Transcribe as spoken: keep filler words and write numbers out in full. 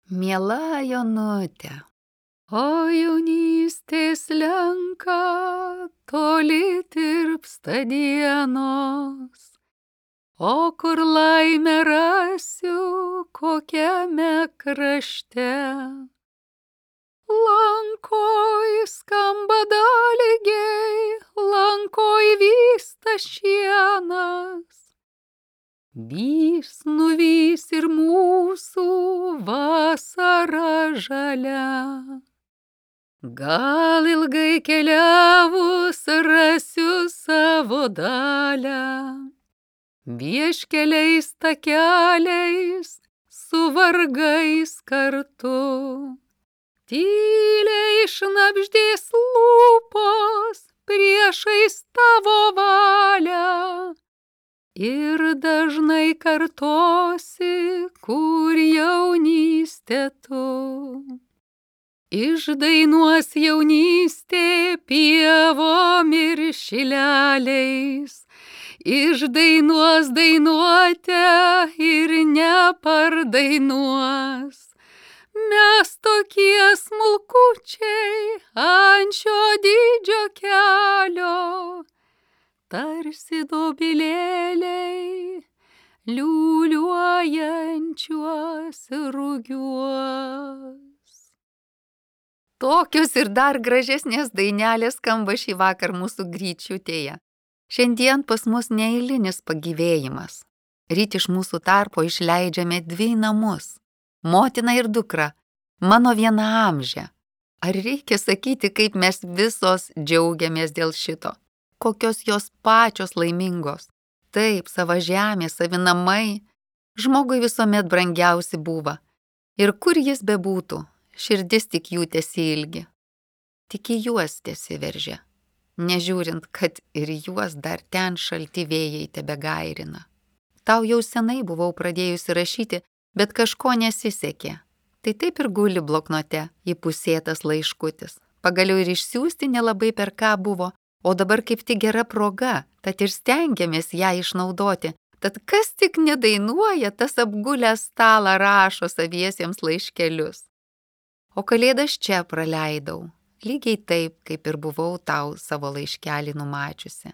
Miela Jonute, o jaunystės slenka, toli tirpsta dienos, o kur laimę rasiu, kokiame krašte. Lankoj skamba dalgiai, lankoj vysta šienas. Vys nuvys ir mūsų vasara žalia. Gal ilgai keliavus rasiu savo dalią. Vieškeliais takeliais su vargais kartu. Tyliai šnabždės lūpos priešais tavo valią. Ir dažnai kartosi, kur jaunystė tu. Išdainuos jaunystė pievom ir šileliais. Išdainuos dainuotę ir nepardainuos. Mes tokie smulkučiai ant šio didžio kelio. Tarsi dobilėliai liūliuojančiuos rugiuos. Tokios ir dar gražesnės dainelės skamba šį vakar mūsų gryčiutėje. Šiandien pas mus neeilinis pagyvėjimas. Ryt iš mūsų tarpo išleidžiame dvi namus. Motina ir dukra, mano vienaamžė. Ar reikia sakyti, kaip mes visos džiaugiamės dėl šito? Kokios jos pačios laimingos. Taip, sava žemė, savi namai, žmogui visuomet brangiausi buvo. Ir kur jis bebūtų, širdis tik jų tesiilgi. Tik į juos tesiveržia, nežiūrint, kad ir juos dar ten šalti vėjai tebegairina. Tau jau senai buvau pradėjusi rašyti, bet kažko nesisekė. Tai taip ir guli bloknote įpusėtas laiškutis. Pagaliau ir išsiųsti nelabai per ką buvo. O dabar kaip tik gera proga, tad ir stengiamės ją išnaudoti. Tad kas tik nedainuoja, tas apgulęs stalą rašo saviesiems laiškelius. O kalėdas čia praleidau, lygiai taip, kaip ir buvau tau savo laiškelį numačiusi.